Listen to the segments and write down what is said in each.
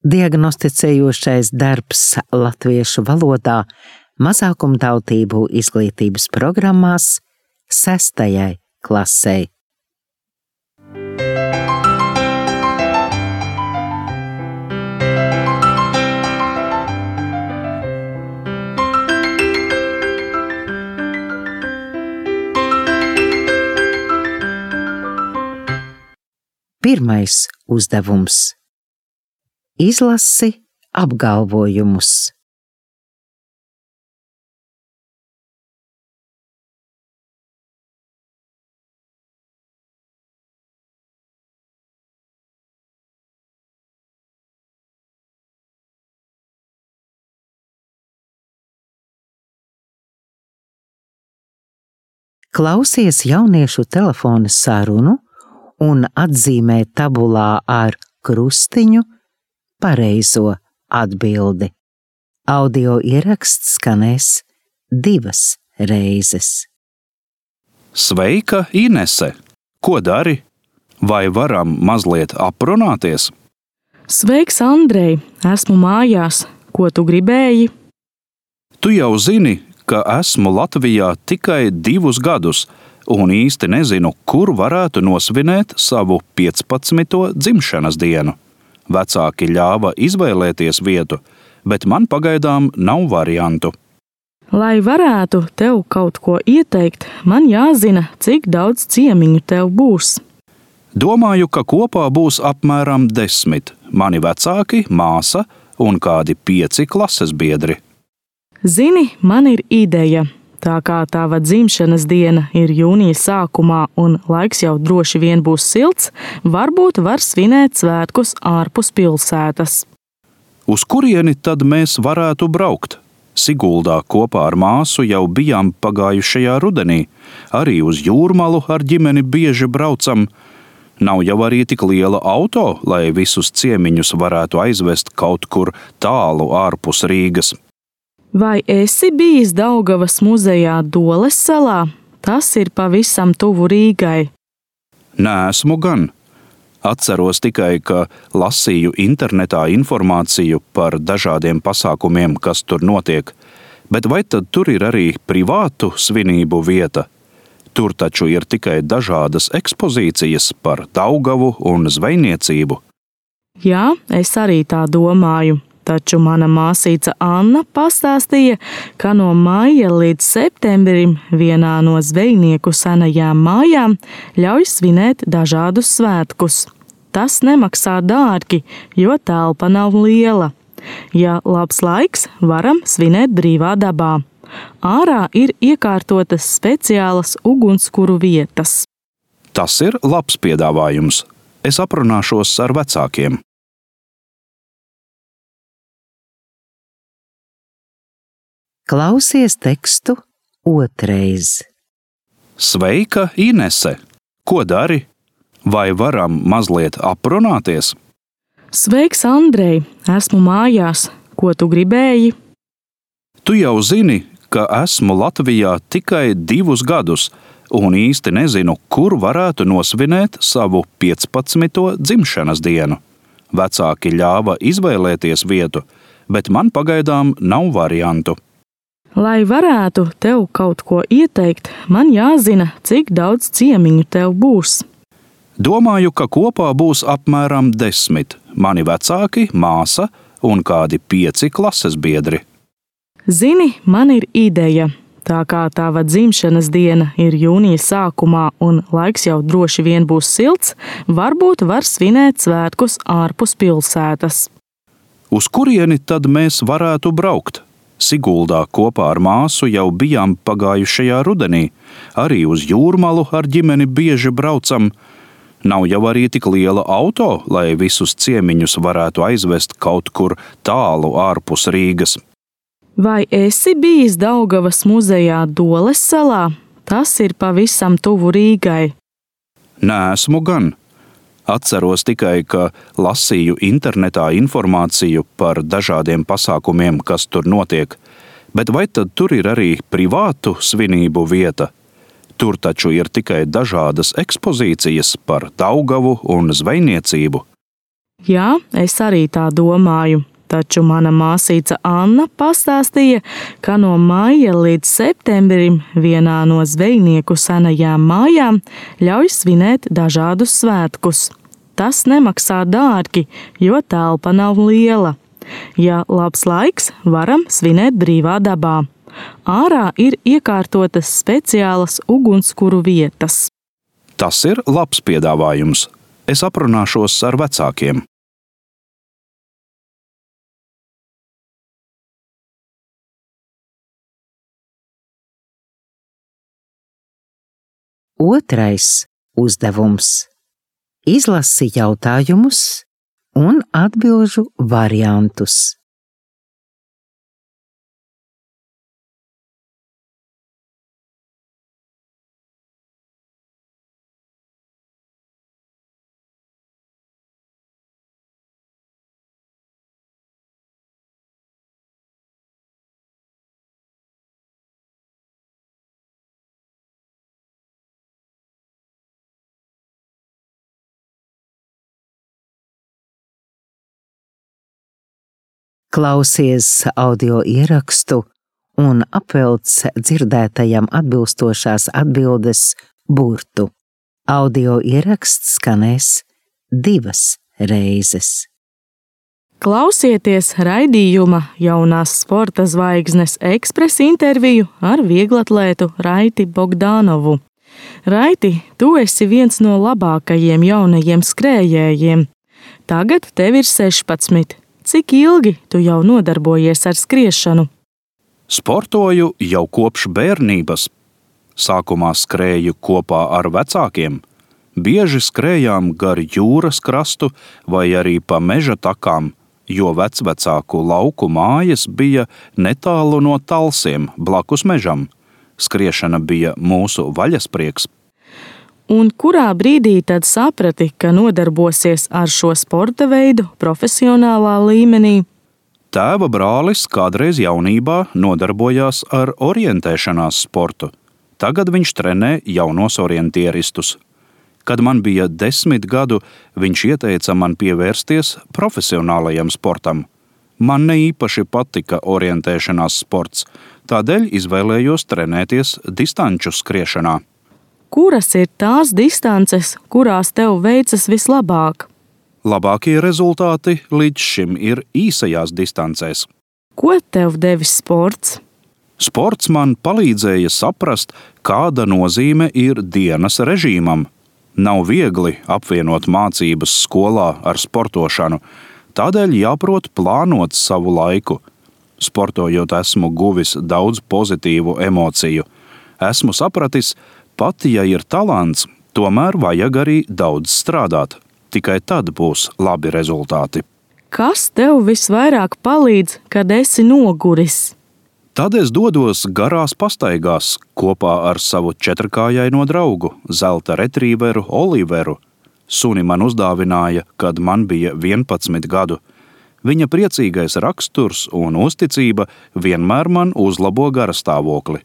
Diagnosticējošais darbs latviešu valodā mazākumtautību izglītības programmās 6. klasei. Pirmais uzdevums. Izlasi apgalvojumus. Klausies jauniešu telefona sarunu un atzīmē tabulā ar krustiņu pareizo atbildi. Audio ieraksts skanēs 2 reizes. Sveika, Inese! Ko dari? Vai varam mazliet aprunāties? Sveiks, Andrej! Esmu mājās. Ko tu gribēji? Tu jau zini, ka esmu Latvijā tikai 2 gadus un īsti nezinu, kur varētu nosvinēt savu 15. dzimšanas dienu. Vecāki ļāva izvēlēties vietu, bet man pagaidām nav variantu. Lai varētu tev kaut ko ieteikt, man jāzina, cik daudz ciemiņu tev būs. Domāju, ka kopā būs apmēram 10 mani vecāki, māsa un kādi 5 klases biedri. Zini, man ir ideja. Tā kā tava dzimšanas diena ir jūnija sākumā un laiks jau droši vien būs silts, varbūt var svinēt svētkus ārpus pilsētas. Uz kurieni tad mēs varētu braukt? Siguldā kopā ar māsu jau bijām pagājušajā rudenī. Arī uz Jūrmalu ar ģimeni bieži braucam. Nav jau arī tik liela auto, lai visus ciemiņus varētu aizvest kaut kur tālu ārpus Rīgas. Vai esi bijis Daugavas muzejā Doles salā? Tas ir pavisam tuvu Rīgai. Neesmu gan. Atceros tikai, ka lasīju internetā informāciju par dažādiem pasākumiem, kas tur notiek. Bet vai tad tur ir arī privātu svinību vieta? Tur taču ir tikai dažādas ekspozīcijas par Daugavu un zvejniecību. Jā, es arī tā domāju. Taču mana māsīca Anna pastāstīja, ka no maija līdz septembrim vienā no zvejnieku senajām mājām ļauj svinēt dažādus svētkus. Tas nemaksā dārgi, jo telpa nav liela. Ja labs laiks, varam svinēt brīvā dabā. Ārā ir iekārtotas speciālas ugunskura vietas. Tas ir labs piedāvājums. Es aprunāšos ar vecākiem. Klausies tekstu otrais. Sveika, Inese! Ko dari? Vai varam mazliet aprunāties? Sveiks, Andrej! Esmu mājās. Ko tu gribēji? Tu jau zini, ka esmu Latvijā tikai 2 gadus un īsti nezinu, kur varētu nosvinēt savu 15. dzimšanas dienu. Vecāki ļāva izvēlēties vietu, bet man pagaidām nav variantu. Lai varētu tev kaut ko ieteikt, man jāzina, cik daudz ciemiņu tev būs. Domāju, ka kopā būs apmēram 10 mani vecāki, māsa un kādi 5 klases biedri. Zini, man ir ideja. Tā kā tava dzimšanas diena ir jūnija sākumā un laiks jau droši vien būs silts, varbūt var svinēt svētkus ārpus pilsētas. Uz kurieni tad mēs varētu braukt? Siguldā kopā ar māsu jau bijām pagājušajā rudenī. Arī uz Jūrmalu ar ģimeni bieži braucam. Nav jau arī tik liela auto, lai visus ciemiņus varētu aizvest kaut kur tālu ārpus Rīgas. Vai esi bijis Daugavas muzejā Doles salā? Tas ir pavisam tuvu Rīgai. Neesmu gan. Atceros tikai, ka lasīju internetā informāciju par dažādiem pasākumiem, kas tur notiek. Bet vai tad tur ir arī privātu svinību vieta? Tur taču ir tikai dažādas ekspozīcijas par Daugavu un zvejniecību. Jā, es arī tā domāju. Taču mana māsīca Anna pastāstīja, ka no maija līdz septembrim vienā no zvejnieku senajām mājām ļauj svinēt dažādus svētkus. Tas nemaksā dārgi, jo telpa nav liela. Ja labs laiks, varam svinēt brīvā dabā. Ārā ir iekārtotas speciālas ugunskura vietas. Tas ir labs piedāvājums. Es aprunāšos ar vecākiem. Otrais uzdevums. Izlasi jautājumus un atbilžu variantus. Klausies audio ierakstu un apvelc dzirdētajam atbilstošās atbildes burtu. Audio ieraksts skanēs 2 reizes. Klausieties raidījuma Jaunās sporta zvaigznes ekspresa interviju ar vieglatlētu Raiti Bogdanovu. Raiti, tu esi viens no labākajiem jaunajiem skrējējiem. Tagad tev ir 16. Cik ilgi tu jau nodarbojies ar skriešanu? Sportoju jau kopš bērnības. Sākumā skrēju kopā ar vecākiem. Bieži skrējām gar jūras krastu vai arī pa meža takām, jo vecvecāku lauku mājas bija netālu no Talsiem, blakus mežam. Skriešana bija mūsu vaļasprieks. Un kurā brīdī tad saprati, ka nodarbosies ar šo sporta veidu profesionālā līmenī? Tēva brālis kādreiz jaunībā nodarbojās ar orientēšanās sportu. Tagad viņš trenē jaunos orientieristus. Kad man bija 10 gadu, viņš ieteica man pievērsties profesionālajam sportam. Man ne īpaši patika orientēšanās sports, tādēļ izvēlējos trenēties distanču skriešanā. Kuras ir tās distances, kurās tev veicas vislabāk? Labākie rezultāti līdz šim ir īsajās distancēs. Ko tev devis sports? Sports man palīdzēja saprast, kāda nozīme ir dienas režīmam. Nav viegli apvienot mācības skolā ar sportošanu, tādēļ jāprot plānot savu laiku. Sportojot esmu guvis daudz pozitīvu emociju. Esmu sapratis, pat ja ir talants, tomēr vajag arī daudz strādāt. Tikai tad būs labi rezultāti. Kas tev visvairāk palīdz, kad esi noguris? Tad es dodos garās pastaigās kopā ar savu 4-kājaino draugu, zelta retrīveru Oliveru. Suni man uzdāvināja, kad man bija 11 gadu. Viņa priecīgais raksturs un uzticība vienmēr man uzlabo garastāvokli.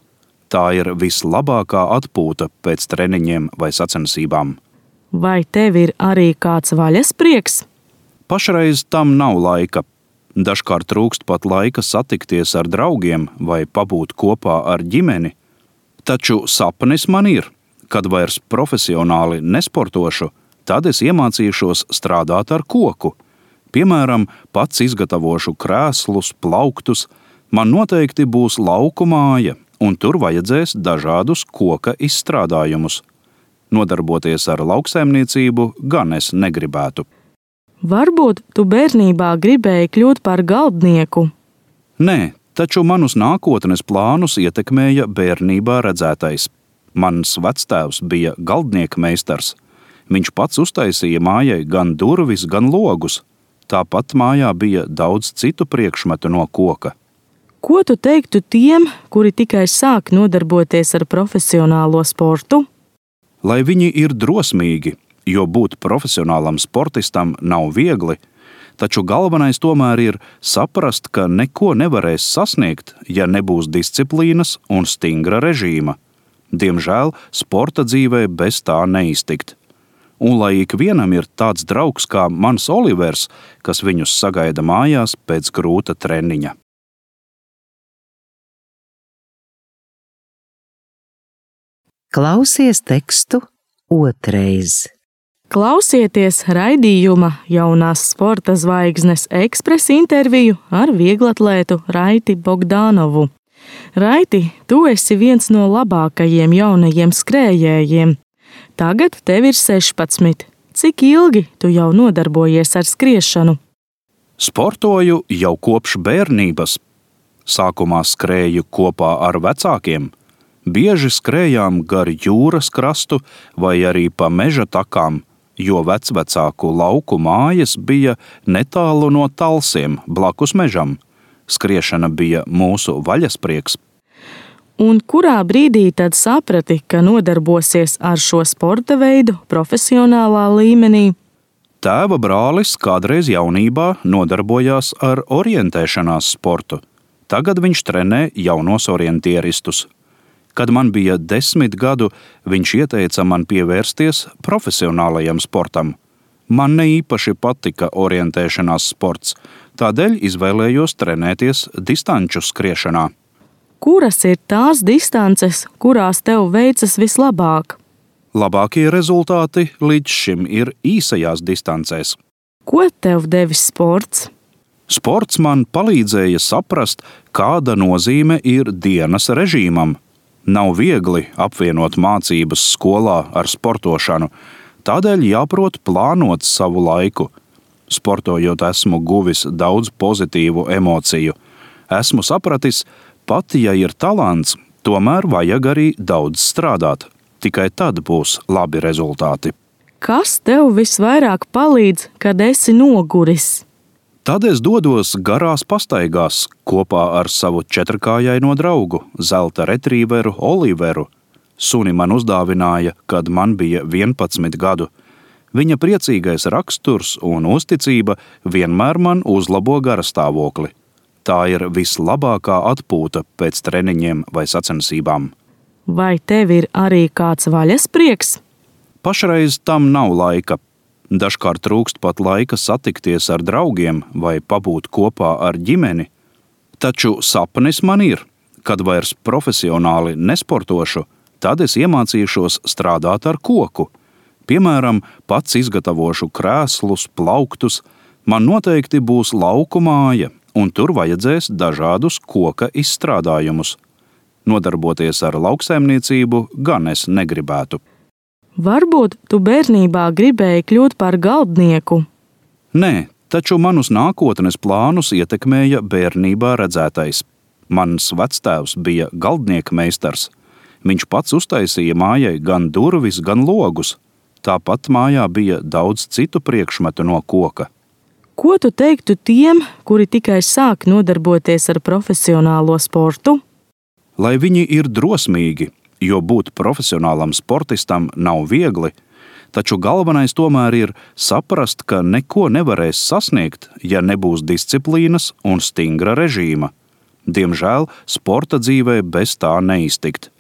Tā ir vislabākā atpūta pēc treniņiem vai sacensībām. Vai tev ir arī kāds vaļasprieks? Pašreiz tam nav laika. Dažkārt trūkst pat laika satikties ar draugiem vai pabūt kopā ar ģimeni. Taču sapnis man ir, kad vairs profesionāli nesportošu, tad es iemācīšos strādāt ar koku. Piemēram, pats izgatavošu krēslus, plauktus. Man noteikti būs lauku māja, un tur vajadzēs dažādus koka izstrādājumus. Nodarboties ar lauksaimniecību gan es negribētu. Varbūt tu bērnībā gribēji kļūt par galdnieku? Nē, taču manus nākotnes plānus ietekmēja bērnībā redzētais. Mans vectēvs bija galdnieka meistars. Viņš pats uztaisīja mājai gan durvis, gan logus. Tāpat mājā bija daudz citu priekšmetu no koka. Ko tu teiktu tiem, kuri tikai sāk nodarboties ar profesionālo sportu? Lai viņi ir drosmīgi, jo būt profesionālam sportistam nav viegli, taču galvenais tomēr ir saprast, ka neko nevarēs sasniegt, ja nebūs disciplīnas un stingra režīma. Diemžēl sporta dzīvē bez tā neiztikt. un lai ikvienam ir tāds draugs kā mans Olivers, kas viņus sagaida mājās pēc grūta treniņa. Klausies tekstu otrais. Klausieties raidījuma Jaunās sporta zvaigznes ekspresa interviju ar vieglatlētu Raiti Bogdanovu. Raiti, tu esi viens no labākajiem jaunajiem skrējējiem. Tagad tev ir 16. Cik ilgi tu jau nodarbojies ar skriešanu? Sportoju jau kopš bērnības. Sākumā skrēju kopā ar vecākiem. Bieži skrējām gar jūras krastu vai arī pa meža takām, jo vecvecāku lauku mājas bija netālu no Talsiem, blakus mežam. Skriešana bija mūsu vaļasprieks. Un kurā brīdī tad saprati, ka nodarbosies ar šo sporta veidu profesionālā līmenī? Tēva brālis kādreiz jaunībā nodarbojās ar orientēšanās sportu. Tagad viņš trenē jaunos orientieristus. Kad man bija 10 gadu, viņš ieteica man pievērsties profesionālajam sportam. Man ne īpaši patika orientēšanās sports, tādēļ izvēlējos trenēties distanču skriešanā. Kuras ir tās distances, kurās tev veicas vislabāk? Labākie rezultāti līdz šim ir īsajās distancēs. Ko tev devis sports? Sports man palīdzēja saprast, kāda nozīme ir dienas režīmam. Nav viegli apvienot mācības skolā ar sportošanu, tādēļ jāprot plānot savu laiku. Sportojot esmu guvis daudz pozitīvu emociju. Esmu sapratis, pat ja ir talants, tomēr vajag arī daudz strādāt. Tikai tad būs labi rezultāti. Kas tev visvairāk palīdz, kad esi noguris? Tad es dodos garās pastaigās kopā ar savu četrkājaino draugu, zelta retrīveru Oliveru. Suni man uzdāvināja, kad man bija 11 gadu. Viņa priecīgais raksturs un uzticība vienmēr man uzlabo garastāvokli. Tā ir vislabākā atpūta pēc treniņiem vai sacensībām. Vai tev ir arī kāds vaļasprieks? Pašreiz tam nav laika. Dažkārt trūkst pat laika satikties ar draugiem vai pabūt kopā ar ģimeni. Taču sapnis man ir, kad vairs profesionāli nesportošu, tad es iemācīšos strādāt ar koku. Piemēram, pats izgatavošu krēslus, plauktus. Man noteikti būs lauku māja, un tur vajadzēs dažādus koka izstrādājumus. Nodarboties ar lauksaimniecību gan es negribētu. Varbūt tu bērnībā gribēji kļūt par galdnieku? Nē, taču manus nākotnes plānus ietekmēja bērnībā redzētais. Mans vectēvs bija galdnieka meistars. Viņš pats uztaisīja mājai gan durvis, gan logus. Tāpat mājā bija daudz citu priekšmetu no koka. Ko tu teiktu tiem, kuri tikai sāk nodarboties ar profesionālo sportu? Lai viņi ir drosmīgi, jo būt profesionālam sportistam nav viegli, taču galvenais tomēr ir saprast, ka neko nevarēs sasniegt, ja nebūs disciplīnas un stingra režīma. Diemžēl sporta dzīvē bez tā neiztikt.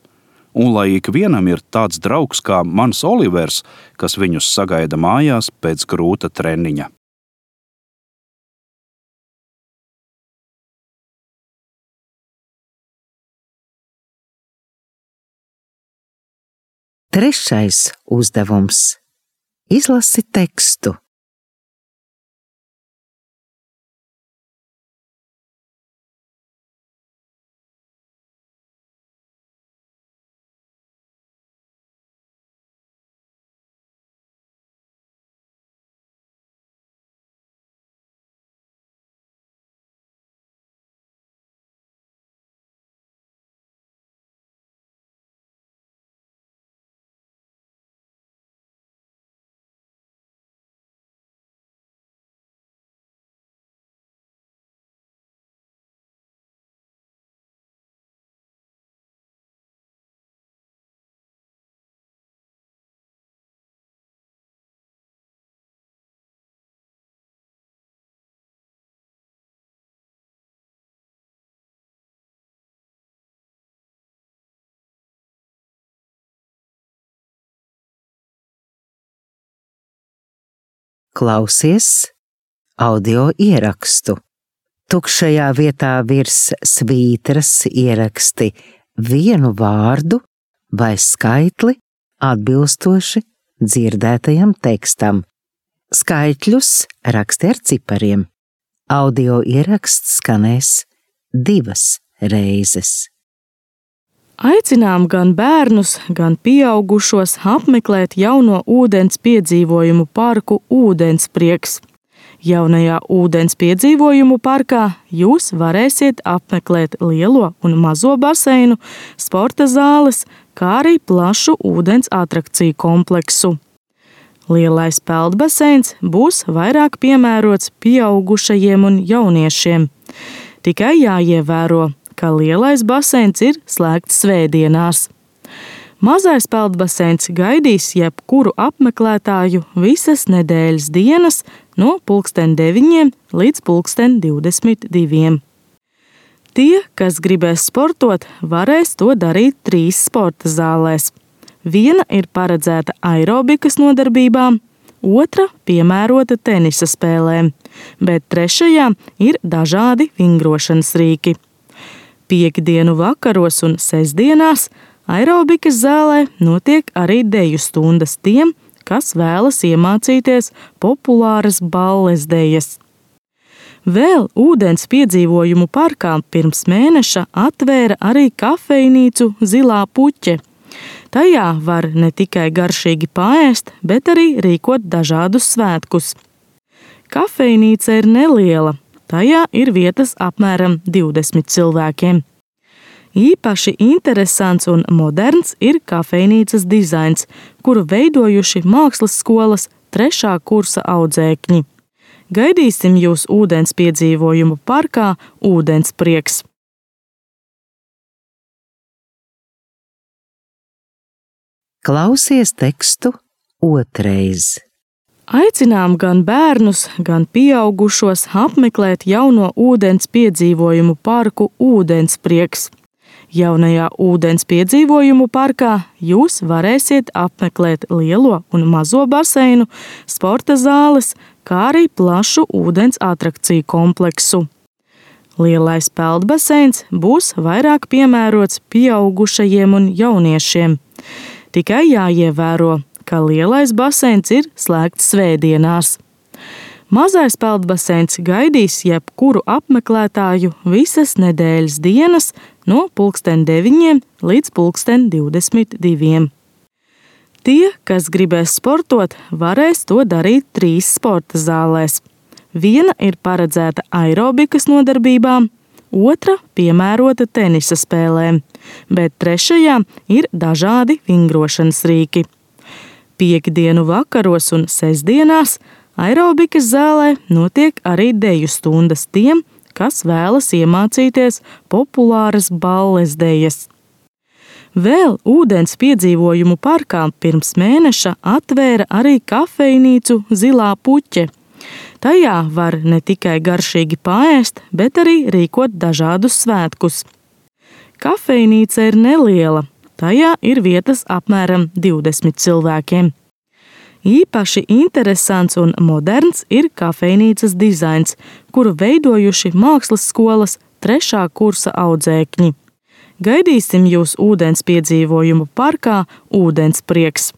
Un lai ikvienam ir tāds draugs kā mans Olivers, kas viņus sagaida mājās pēc grūta treniņa. Trešais uzdevums. Izlasi tekstu. klausies audio ierakstu. Tukšajā vietā virs svītras ieraksti vienu vārdu vai skaitli atbilstoši dzirdētajam tekstam. Skaitļus raksti ar cipariem. Audio ieraksts skanēs 2 reizes. Aicinām gan bērnus, gan pieaugušos apmeklēt jauno ūdens piedzīvojumu parku Ūdensprieks. Jaunajā ūdens piedzīvojumu parkā jūs varēsiet apmeklēt lielo un mazo baseinu, sporta zāles, kā arī plašu ūdens atrakciju kompleksu. Lielais peldbaseins būs vairāk piemērots pieaugušajiem un jauniešiem. Tikai jāievēro, ka lielais baseins ir slēgts svētdienās. Mazais peldbaseins gaidīs jebkuru apmeklētāju visas nedēļas dienas no 9 līdz 22. Tie, kas gribēs sportot, varēs to darīt 3 sporta zālēs. Viena ir paredzēta aerobikas nodarbībām, otra piemērota tenisa spēlēm, bet trešajā ir dažādi vingrošanas rīki. Piektdienu vakaros un sestdienās aerobikas zālē notiek arī deju stundas tiem, kas vēlas iemācīties populāras balles dejas. Vēl ūdens piedzīvojumu parkā pirms mēneša atvēra arī kafejnīcu Zilā puķe. Tajā var ne tikai garšīgi paēst, bet arī rīkot dažādus svētkus. Kafejnīca ir neliela, tajā ir vietas apmēram 20 cilvēkiem. Īpaši interesants un moderns ir kafejnīcas dizains, kuru veidojuši mākslas skolas 3. kursa audzēkņi. Gaidīsim jūs ūdens piedzīvojumu parkā Ūdensprieks. Klausies tekstu otrais. Aicinām gan bērnus, gan pieaugušos apmeklēt jauno ūdens piedzīvojumu parku Ūdensprieks. Jaunajā ūdens piedzīvojumu parkā jūs varēsiet apmeklēt lielo un mazo baseinu, sporta zāles, kā arī plašu ūdens atrakciju kompleksu. Lielais peldbaseins būs vairāk piemērots pieaugušajiem un jauniešiem. Tikai jāievēro, ka lielais baseins ir slēgts svētdienās. Mazais peldbaseins gaidīs jebkuru apmeklētāju visas nedēļas dienas no 9 līdz 22. Tie, kas gribēs sportot, varēs to darīt 3 sporta zālēs. Viena ir paredzēta aerobikas nodarbībām, otra piemērota tenisa spēlēm, bet trešajā ir dažādi vingrošanas rīki. Piektdienu vakaros un sestdienās aerobikas zālē notiek arī deju stundas tiem, kas vēlas iemācīties populāras balles dejas. Vēl ūdens piedzīvojumu parkā pirms mēneša atvēra arī kafejnīcu Zilā puķe. Tajā var ne tikai garšīgi paēst, bet arī rīkot dažādus svētkus. Kafejnīca ir neliela, tajā ir vietas apmēram 20 cilvēkiem. Īpaši interesants un moderns ir kafejnīcas dizains, kuru veidojuši mākslas skolas 3. kursa audzēkņi. Gaidīsim jūs ūdens piedzīvojumu parkā Ūdensprieks.